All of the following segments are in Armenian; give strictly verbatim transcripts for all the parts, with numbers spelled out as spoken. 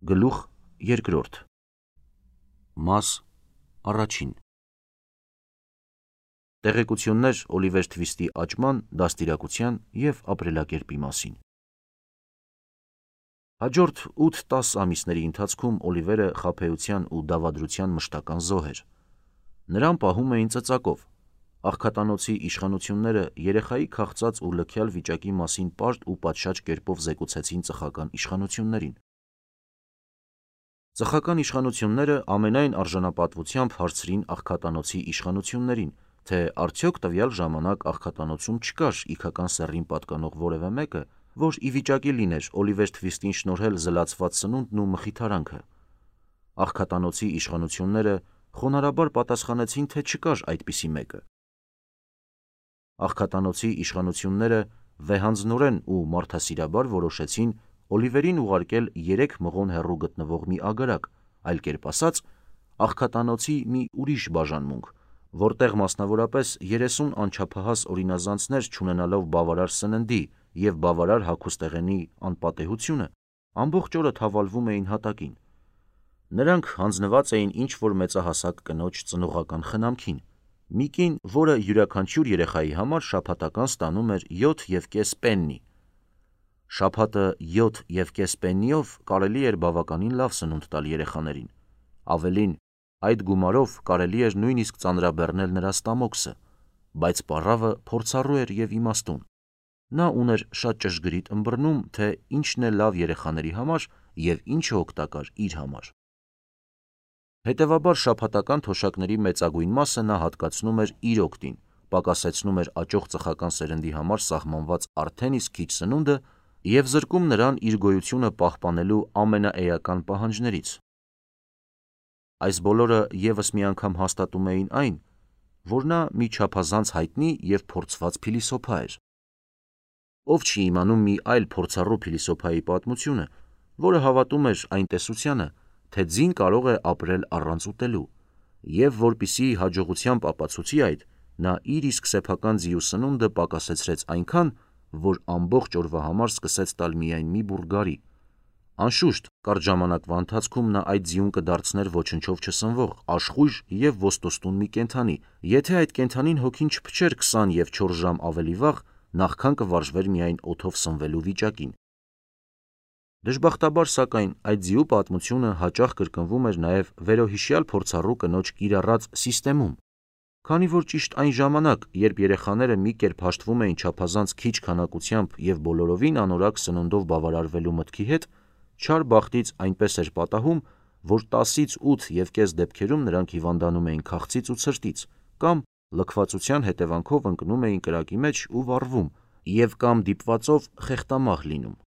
Գլուխ երկրորդ Մաս առաջին Տեղեկություններ Օլիվեր Թվիստի աճման, դաստիարակության և ապրելակերպի մասին։ Հաջորդ ութ-տասը ամիսների ընթացքում Օլիվերը խաբեության ու դավադրության մշտական զոհ էր։ Նրան պահում էին ծծակով։ Աղքատանոցի իշխանությունները երեխայի քաղցած ու լքյալ վիճակի մասին պարտ ու պատշաճ կերպով զեկուցեցին ծխական իշխանություններին։ Ծխական իշխանությունները ամենայն արժանապատվությամբ հարցրին աղքատանոցի իշխանություններին, թե արդյոք տվյալ ժամանակ աղքատանոցում չկար իգական սեռին պատկանող որևէ մեկը, որ ի վիճակի լիներ Օլիվեր Թվիստին շնորհել զլացված սնունդն ու մխիթարանքը։ Աղքատանոցի իշխանությունները խոնարհաբար պատասխանեցին, թե չկար այդպիսի մեկը։ Աղքատանոցի իշխանությունները վեհանձնորեն ու մարդասիրաբար որոշեցին Օլիվերին ուղարկել երեք մղոն հեռու գտնվող մի ագարակ, այլ կերպ ասած, աղքատանոցի մի ուրիշ բաժանմունք, որտեղ մասնավորապես երեսուն անչափահաս օրինազանցներ չունենալով բավարար սննդի և բավարար հագուստեղենի անպատեհությունը, ամբողջ օրը թավալվում էին հատակին։ Նրանք հանձնված էին ինչ-որ մեծահասակ կնոջ ծնողական խնամքին, մի կին, որը յուրաքանչյուր երեխայի համար շաբաթական ստանում էր յոթ և կես պեննի։ Շաբաթը յոթ և կես պեննիով կարելի էր բավականին լավ սնունդ տալ երեխաներին։ Ավելին, այդ գումարով կարելի էր նույնիսկ ծանրաբեռնել նրա ստամոքսը, բայց պառավը փորձառու էր և իմաստուն։ Նա ուներ շատ ճշգրիտ ըմբռնում, թե ինչն է լավ երեխաների համար և ինչը օգտակար իր համար։ Հետևաբար շաբաթական թոշակների մեծագույն մասը նա հատկացնում էր իր օգտին, պակասեցնում էր աճող ծխական սերնդի համար սահմանված արդեն իսկ քիչ սնունդը և զրկում նրան իր գոյությունը պահպանելու ամենաէական պահանջներից։ Այս բոլորը ևս մի անգամ հաստատում էին այն, որ նա մի չափազանց հայտնի և փորձված փիլիսոփա էր։ Ով չի իմանում մի այլ փորձառու փիլիսոփայի պատմությունը, որը հավատում էր այն տեսությանը, թե ձին կարող է ապրել առանց ուտելու, և որպեսզի հաջողությամբ ապացուցի այդ, նա իր իսկ սեփական ձիու սնունդը պակասեցրեց այնքան, որ ամբողջ օրվա համար սկսեց տալ միայն մի բուռ գարի։ Անշուշտ, կարճ ժամանակվա ընթացքում նա այդ ձիուն կդարձներ ոչնչով չսնվող, աշխույժ և ոստոստուն մի կենդանի, եթե այդ կենդանին հոգին չփչեր քսան և չորս ժամ ավելի վաղ, նախքան կվարժվեր միայն օդով սնվելու վիճակին։ Դժբախտաբար, սակայն, այդ ձիու պատմությունը հաճախ կրկնվում էր նաև վերոհիշյալ փորձառու կնոջ կիրառած «սիստեմում», քանի որ ճիշտ այն ժամանակ, երբ երեխաները մի կերպ հաշտվում էին չափազանց քիչ քանակությամբ և բոլորովին անորակ սննդով բավարարվելու մտքի հետ, չար բախտից այնպես էր պատահում, որ տասից ութ և կես դեպքերում նրանք հիվանդանում էին քաղցից ու ցրտից, կամ լքվածության հետևանքով ընկնում էին կրակի մեջ ու վառվում և կամ դիպվածով խեղդամահ լինում։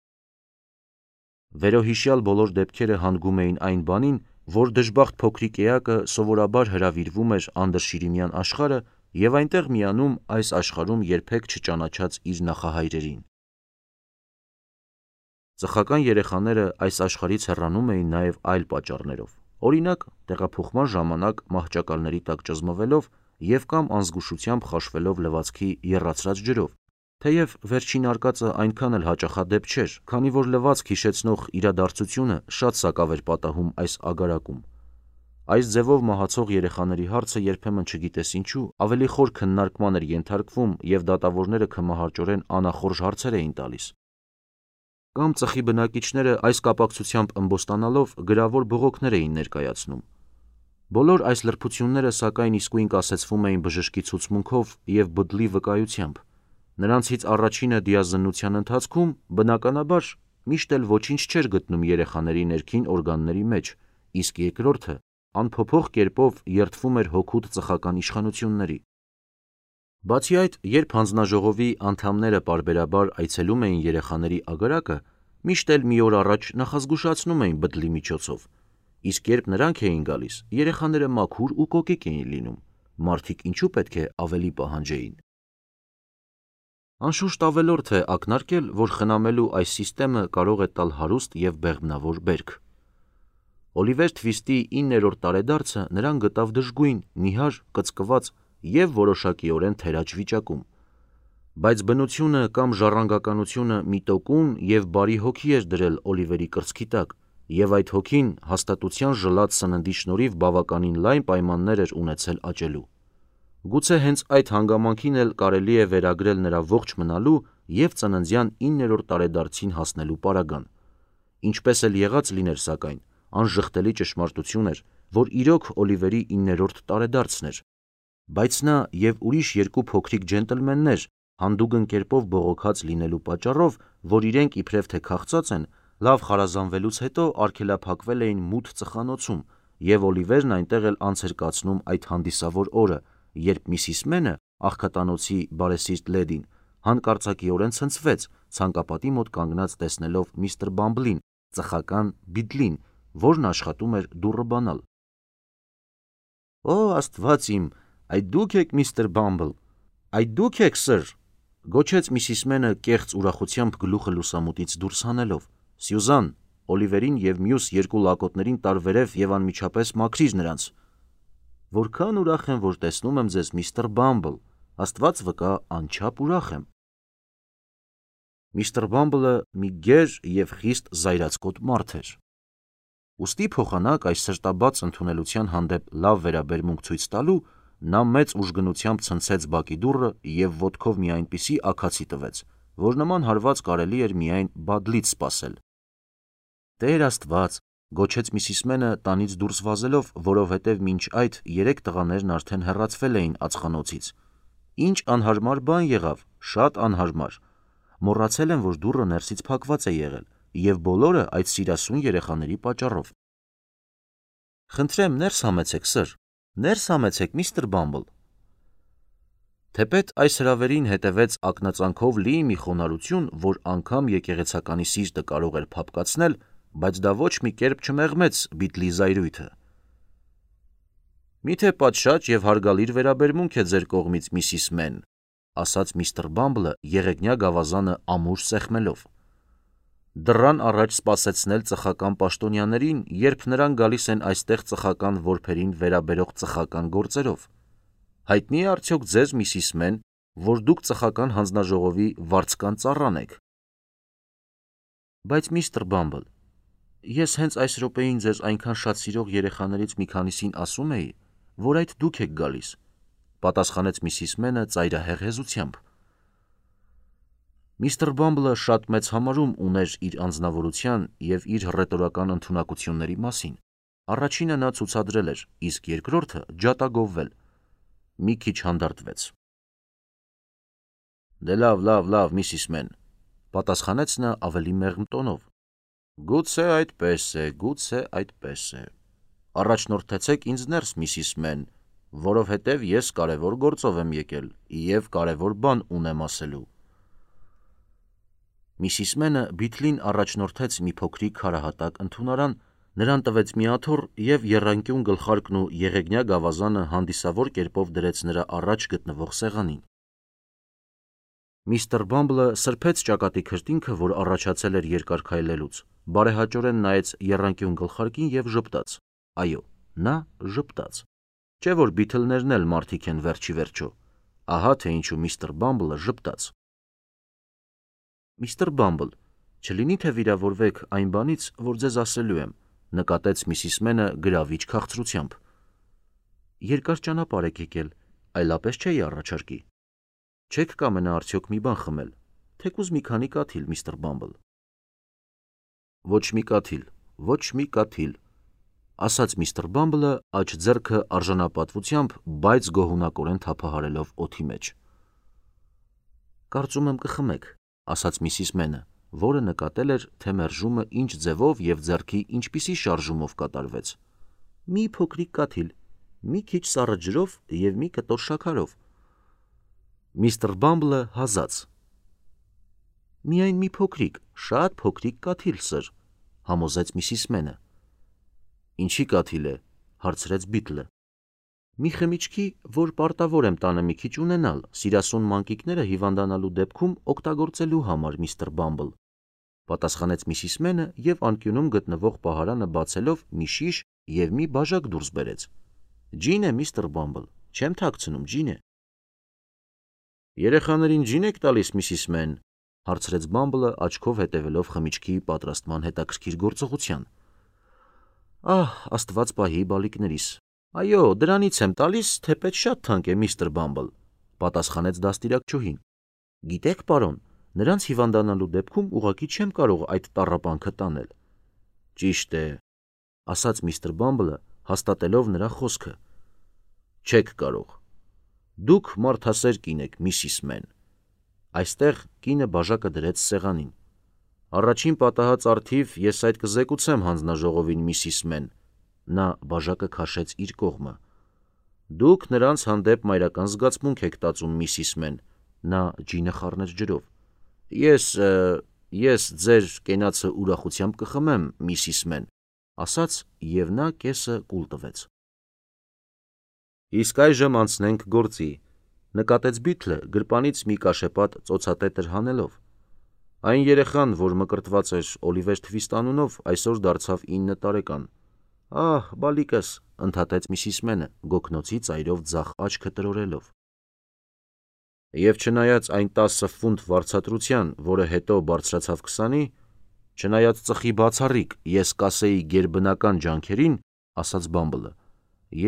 Վերոհիշյալ բոլոր դեպքերը հանգում էին այն բանին, որ դժբախտ փոքրիկ էակը սովորաբար հրավիրվում էր անդրշիրիմյան աշխարհը և այնտեղ միանում այս աշխարհում երբեք չճանաչած իր նախահայրերին։ Ծխական երեխաները այս աշխարհից հեռանում էին նաև այլ պատճառներով, օրինակ, տեղափոխման ժամանակ մահճակալների տակ ճզմվելով և կամ անզգուշությամբ խաշվելով լվացքի եռացրած ջրով, թեև վերջին արկածը այնքան էլ հաճախադեպ չէր, քանի որ լվացք հիշեցնող իրադարձությունը շատ սակավ էր պատահում այս ագարակում։ Այս ձևով մահացող երեխաների հարցը երբեմն չգիտես ինչու ավելի խոր քննարկման էր ենթարկվում և դատավորները քմահաճորեն անախորժ հարցեր էին տալիս։ Կամ ծխի բնակիչները այս կապակցությամբ ըմբոստանալով գրավոր բողոքներ էին ներկայացնում։ Բոլոր այս լրբությունները սակայն իսկույն կասեցվում էին բժշկի ցուցմունքով և բդլի վկայությամբ։ Նրանցից առաջինը դիազննության ընթացքում, բնականաբար, միշտ էլ ոչինչ չէր գտնում երեխաների ներքին օրգանների մեջ, իսկ երկրորդը անփոփոխ կերպով երդվում էր հօգուտ ծխական իշխանությունների։ Բացի այդ, երբ հանձնաժողովի անդամները պարբերաբար այցելում էին երեխաների ագարակը, միշտ էլ մի օր առաջ նախազգուշացնում էին բդլի միջոցով, իսկ երբ նրանք էին գալիս, երեխաները մաքուր ու կոկիկ էին լինում, մարդիկ ինչու պետք է ավելի պահանջեին։ Անշուշտ ավելորդ է ակնարկել, որ խնամելու այս սիստեմը կարող է տալ հարուստ և բեղմնավոր բերք։ Օլիվեր Թվիստի իններորդ տարեդարձը նրան գտավ դժգույն, նիհար, կծկված և որոշակիորեն թերաճ վիճակում։ Բայց բնությունը կամ ժառանգականությունը մի տոկուն և բարի հոգի էր դրել Օլիվերի կրծքի տակ, եւ այդ հոգին հաստատության ժլատ սննդի շնորհիվ բավականին լայն պայմաններ էր ունեցել աճելու։ Գուցե հենց այդ հանգամանքին էլ կարելի է վերագրել նրա ողջ մնալու եւ ծննդյան իններորդ տարեդարձին հասնելու պարագան։ Ինչպես էլ եղած լիներ, սակայն, անժխտելի ճշմարտություն էր, որ իրոք Օլիվերի իններորդ տարեդարձն էր, բայց նա եւ ուրիշ երկու փոքրիկ ջենտլմեններ հանդուգն կերպով բողոքած լինելու պատճառով, որ իրենք իբրև թե քաղցած են, լավ խարազանվելուց հետո արգելափակվել էին մութ ծխանոցում, եւ Օլիվերն այնտեղ էլ անց էր կացնում այդ հանդիսավոր օրը, երբ Միսիս Մենը, աղքատանոցի բարեսիրտ լեդին, հանկարծակիորեն ցնցվեց, ցանկապատի մոտ կանգնած տեսնելով միստր Բամբլին, ծխական Բիդլին, որն աշխատում էր դուռը բանալ։ «Օ, Աստված իմ, այդ դուք եք, միստր Բամբլ, այդ դուք եք, սըր», գոչեց Միսիս Մենը կեղծ ուրախությամբ գլուխը լուսամուտից դուրս հանելով։ «Սյուզան, Օլիվերին եւ մյուս երկու լակոտներին տարվերև եւ անմիջապես մաքրիր նրանց»։ «Որքան ուրախ եմ, որ տեսնում եմ ձեզ, միստր Բամբլ, Աստված վկա, անչափ ուրախ եմ»։ Միստր Բամբլը մի գեր եւ խիստ զայրացկոտ մարդ էր։ Ուստի փոխանակ այս սրտաբաց ընդունելության հանդեպ լավ վերաբերմունք ցույց տալու, նա մեծ ուժգնությամբ ցնցեց բակի դուռը եւ ոտքով մի այնպիսի աքացի տվեց, որ նման հարված կարելի էր միայն Բադլից սպասել։ «Տեր Աստված», գոչեց Միսիս Մենը տանից դուրս վազելով, որովհետև մինչ այդ երեք տղաներն արդեն հեռացվել էին ածխանոցից։ «Ինչ անհարմար բան եղավ, շատ անհարմար։ Մոռացել եմ, որ դուռը ներսից փակված է եղել, եւ բոլորը այդ սիրասուն երեխաների պատճառով»։ «Խնդրեմ, ներս համեցեք, սըր, ներս համեցեք, միստր Բամբլ»։ Թեպետ այս հրավերին հետևեց ակնածանքով լի մի խոնարհություն, որ անգամ եկեղեցականի սիրտը կարող էր փափկացնել, բայց դա ոչ մի կերպ չմեղմեց Բիդլի զայրույթը։ «Միթե պատշաճ եւ հարգալիր վերաբերմունք է ձեր կողմից, Միսիս Մեն», ասաց միստր Բամբլը եղեգնյա գավազանը ամուր սեղմելով։ «Դռան առաջ սպասեցնել ծխական պաշտոնյաներին, երբ նրանք գալիս են այստեղ ծխական որբերին վերաբերող ծխական գործերով։ Հայտնի է արդյոք ձեզ, Միսիս Մեն, որ դուք ծխական հանձնաժողովի վարձկան ծառան եք»։ «Բայց միստր Բամբլ, ես հենց այս րոպեին ձեզ այնքան շատ սիրող երեխաներից մի քանիսին ասում էի, որ այդ դուք եք գալիս», պատասխանեց Միսիս Մենը ծայրահեղ հեզությամբ։ Միստր Բամբլը շատ մեծ համարում ուներ իր անձնավորության եւ իր հռետորական ընդունակությունների մասին։ Առաջինը նա ցուցադրել էր, իսկ երկրորդը ջատագովվել։ Մի քիչ հանդարտվեց։ «Դե լավ, լավ, լավ, Միսիս Մեն», պատասխանեց նա ավելի մեղմ տոնով։ «Գուցե այդպես է, գուցե այդպես է։ Առաջնորդեցեք ինձ ներս, Միսիս Մեն, որովհետև ես կարևոր գործով եմ եկել եւ կարևոր բան ունեմ ասելու»։ Միսիս Մենը Բիդլին առաջնորդեց մի փոքրիկ քարահատակ ընդունարան, նրան տվեց մի աթոռ եւ եռանկյուն գլխարկն ու եղեգնյա գավազանը հանդիսավոր կերպով դրեց նրա առաջ գտնվող սեղանին։ Միստր Բամբլը սրբեց ճակատի քրտինքը, որ առաջացել էր երկար քայլելուց, բարեհաճորեն նայեց եռանկյուն գլխարկին եւ ժպտաց։ Այո, նա ժպտաց։ Չէ՞ որ Բիթլներն էլ մարդիկ են վերջի վերջո։ Ահա թե ինչու միստր Բամբլը ժպտաց։ «Միստր Բամբլ, չլինի թե վիրավորվեք այն բանից, որ ձեզ ասելու եմ», նկատեց Միսիս Մենը գրավիչ քաղցրությամբ։ «Երկար ճանապարհ եք եկել, այլապես չէի առաջարկի։ Չեք կամենա արդյոք մի բան խմել, թեկուզ մի քանի կաթիլ, միստր Բամբլ»։ «Ոչ մի կաթիլ, ոչ մի կաթիլ», ասաց միստր Բամբլը աջ ձեռքը արժանապատվությամբ, բայց գոհունակորեն թափահարելով օդի մեջ։ «Կարծում եմ կխմեք», ասաց Միսիս Մենը, որը նկատել էր, թե մերժումը ինչ ձևով եւ ձեռքի ինչպիսի շարժումով կատարվեց։ «Մի փոքրիկ կաթիլ, մի քիչ սառը ջրով եւ մի կտոր շաքարով»։ Միստր Բամբլը հազաց։ «Միայն մի փոքրիկ, շատ փոքրիկ կաթիլ, սըր», համոզեց Միսիս Մենը։ «Ինչի կաթիլ է», հարցրեց Բիդլը։ «Մի խմիչքի, որ պարտավոր եմ տանը մի քիչ ունենալ, սիրասուն մանկիկները հիվանդանալու դեպքում օգտագործելու համար, միստր Բամբլ», պատասխանեց Միսիս Մենը եւ անկյունում գտնվող պահարանը բացելով մի շիշ եւ մի բաժակ դուրս բերեց։ «Ջին է, միստր Բամբլ, չեմ թաքցնում, ջին է»։ «Երեխաներին ջին եք տալիս, Միսիս Մեն», հարցրեց Բամբլը աչքով հետևելով խմիչքի պատրաստման հետաքրքիր գործողության։ Ահ, աստված պահի բալիկներիս։ Այո, դրանից եմ տալիս, թեպետ շատ թանկ է, միստր Բամբլ, պատասխանեց դաստիարակչուհին։ Գիտեք, պարոն, նրանց հիվանդանալու դեպքում ուղղակի չեմ կարող այդ տառապանքը տանել։ Ճիշտ է, ասաց միստր Բամբլը, հաստատելով նրա խոսքը։ Չեք կարող։ Դուք մարդասեր կին եք, միսիս Մեն։ Այստեղ կինը բաժակը դրեց սեղանին։ Առաջին պատահած արդիվ ես այդ կզեկուցեմ հանձնաժողովին, միսիս Մեն։ Նա բաժակը քաշեց իր կողմը։ Դուք նրանց հանդեպ մայրական զգացմունք եք տածում, միսիս Մեն։ Նա ջինը խառնեց ջրով։ Ես, ես ձեր կենացը ուրախությամբ կխմեմ, միսիս Մեն, ասաց և նա կեսը կուլ տվեց։ Իսկ այժմ անցնենք գործի, նկատեց Բիթլը գրպանից մի կաշեպատ ծոցատետր հանելով։ Այն երեխան, որ մկրտված էր Օլիվեր Թվիստ անունով, այսօր դարձավ ինը տարեկան։ Ահ, բալիկս, ընդհատեց միսիս Մենը, գոգնոցի ծայրով ձախ աչքը տրորելով։ Եվ չնայած այն տասը ֆունտ վարձատրության, որը հետո բարձրացավ քսանի, չնայած ծխի բացառիկ, ես կասեի գերբնական ջանքերին, ասաց Բամբլը,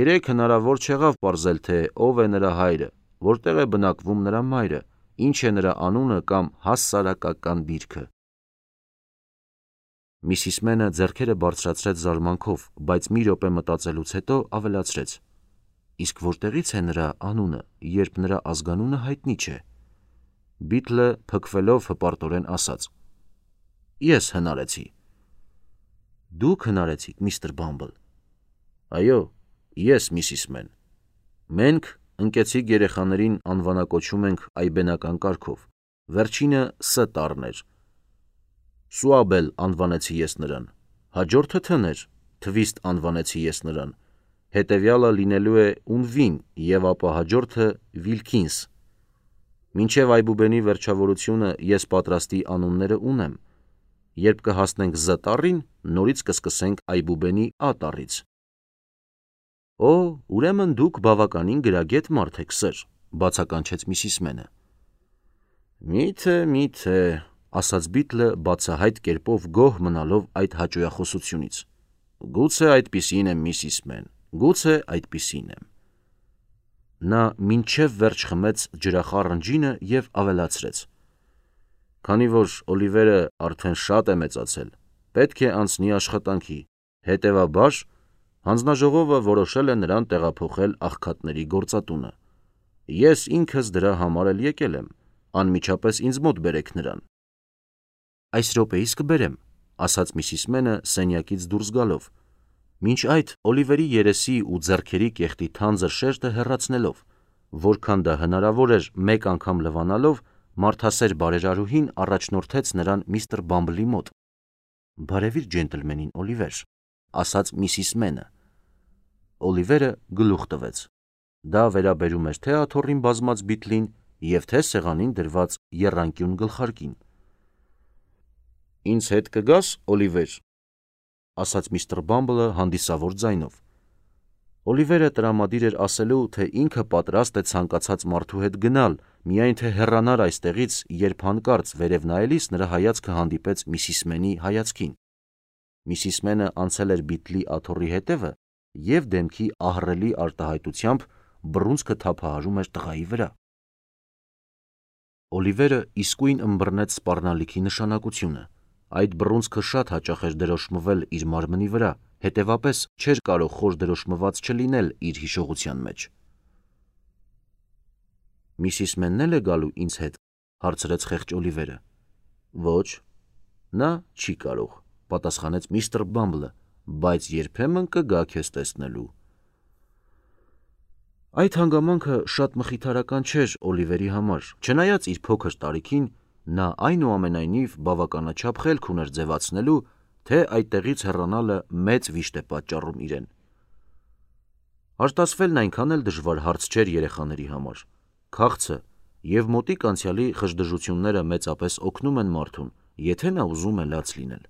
երեք հնարավոր չեղավ պարզել, թե ով է նրա հայրը, որտեղ է բնակվում նրա մայրը, ինչ է նրա անունը կամ հասարակական դիրքը։ Միսիս Մենը ձեռքերը բարձրացրեց զարմանքով, բայց մի րոպե մտածելուց հետո ավելացրեց. Իսկ որտեղից է նրա անունը, երբ նրա ազգանունը հայտնի չէ։ Բիթլը փքվելով հպարտորեն ասաց. Ես հնարեցի։ Դուք հնարեցիք, միստր Բամբլ։ Այո, ես, միսիս Մեն։ Մենք ընկեցիկ երեխաներին անվանակոչում ենք այբենական կարգով։ Վերջինը Ս տառն էր։ Սուաբել անվանեցի ես նրան, հաջորդը Թ էր, Թվիստ անվանեցի ես նրան, հետևյալը լինելու է Ունվին և ապա հաջորդը Վիլքինս։ Մինչև այբուբենի վերջավորությունը ես պատրաստի անունները ունեմ։ Երբ կհասնենք Զ տառին, նորից կսկսենք այբուբենի Ա տառից։ Օ, ուրեմն դուք բավականին գրագետ մարդ եք, սըր, բացականչեց միսիս Մենը։ Միթե, միթե, ասաց Բիթլը բացահայտ կերպով գոհ մնալով այդ հաճոյախոսությունից։ Գուցե այդպիսին եմ, միսիս Մեն, գուցե այդպիսին եմ։ Նա մինչև վերջ խմեց ջրախառն ջինը և ավելացրեց. Քանի որ Օլիվերը արդեն շատ է մեծացել, պետք է անցնի աշխատանքի, հետևաբար հանձնաժողովը որոշել է նրան տեղափոխել աղքատների գործատունը։ Ես ինքս դրա համար էլ եկել եմ, անմիջապես ինձ մոտ բերեք նրան։ Այս րոպեիս կբերեմ, ասաց միսիս Մենը սենյակից դուրս գալով, մինչ այդ Օլիվերի երեսի ու ձեռքերի կեղտի թանձր շերտը հեռացնելով, որքան դա հնարավոր էր մեկ անգամ լվանալով, մարդասեր բարերարուհին առաջնորդեց նրան միստր Բամբլի մոտ։ Բարևիր ջենտլմենին, Օլիվեր, ասաց միսիս Մենը։ Օլիվերը գլուխ տվեց։ Դա վերաբերում էր թե աթոռին բազմած Բիթլին և թե սեղանին դրված եռանկյուն գլխարկին։ Ինձ հետ կգաս, Օլիվեր, ասաց միստր Բամբլը հանդիսավոր ձայնով։ Օլիվերը տրամադիր էր ասելու, թե ինքը պատրաստ է ցանկացած մարդու հետ գնալ, միայն թե հեռանար այստեղից, երբ հանկարծ վերև նայելիս նրա հայացքը հանդիպեց միսիս Մենի հայացքին։ Միսիս Մենը անցել էր Բիթլի աթոռի հետևը և դեմքի ահռելի արտահայտությամբ բռունցքը թափահարում էր տղայի վրա։ Օլիվերը իսկույն ըմբռնեց սպառնալիքի նշանակությունը։ Այդ բռունցքը շատ հաճախ էր դրոշմվել իր մարմնի վրա, հետևապես չէր կարող խոր դրոշմված չլինել իր հիշողության մեջ։ Միսիս Մենն էլ է գալու ինձ հետ, հարցրեց խեղճ Օլիվերը։ Ոչ, նա չի կարող, պատասխանեց միստր Բամբլը, բայց երբեմն կգա քեզ տեսնելու։ Այդ հանգամանքը շատ մխիթարական չէր Օլիվերի համար, չնայած իր փոքր տարիքին նա այնուամենայնիվ բավականաչափ խելք ուներ ձևացնելու, թե այդտեղից հեռանալը մեծ վիշտ է պատճառում իրեն։ Արտասվելն այնքան էլ դժվար հարց չէր երեխաների համար։ Քաղցը և մոտիկ անցյալի խժդժությունները մեծապես օգնում են մարդուն, եթե նա ուզում է լաց լինել։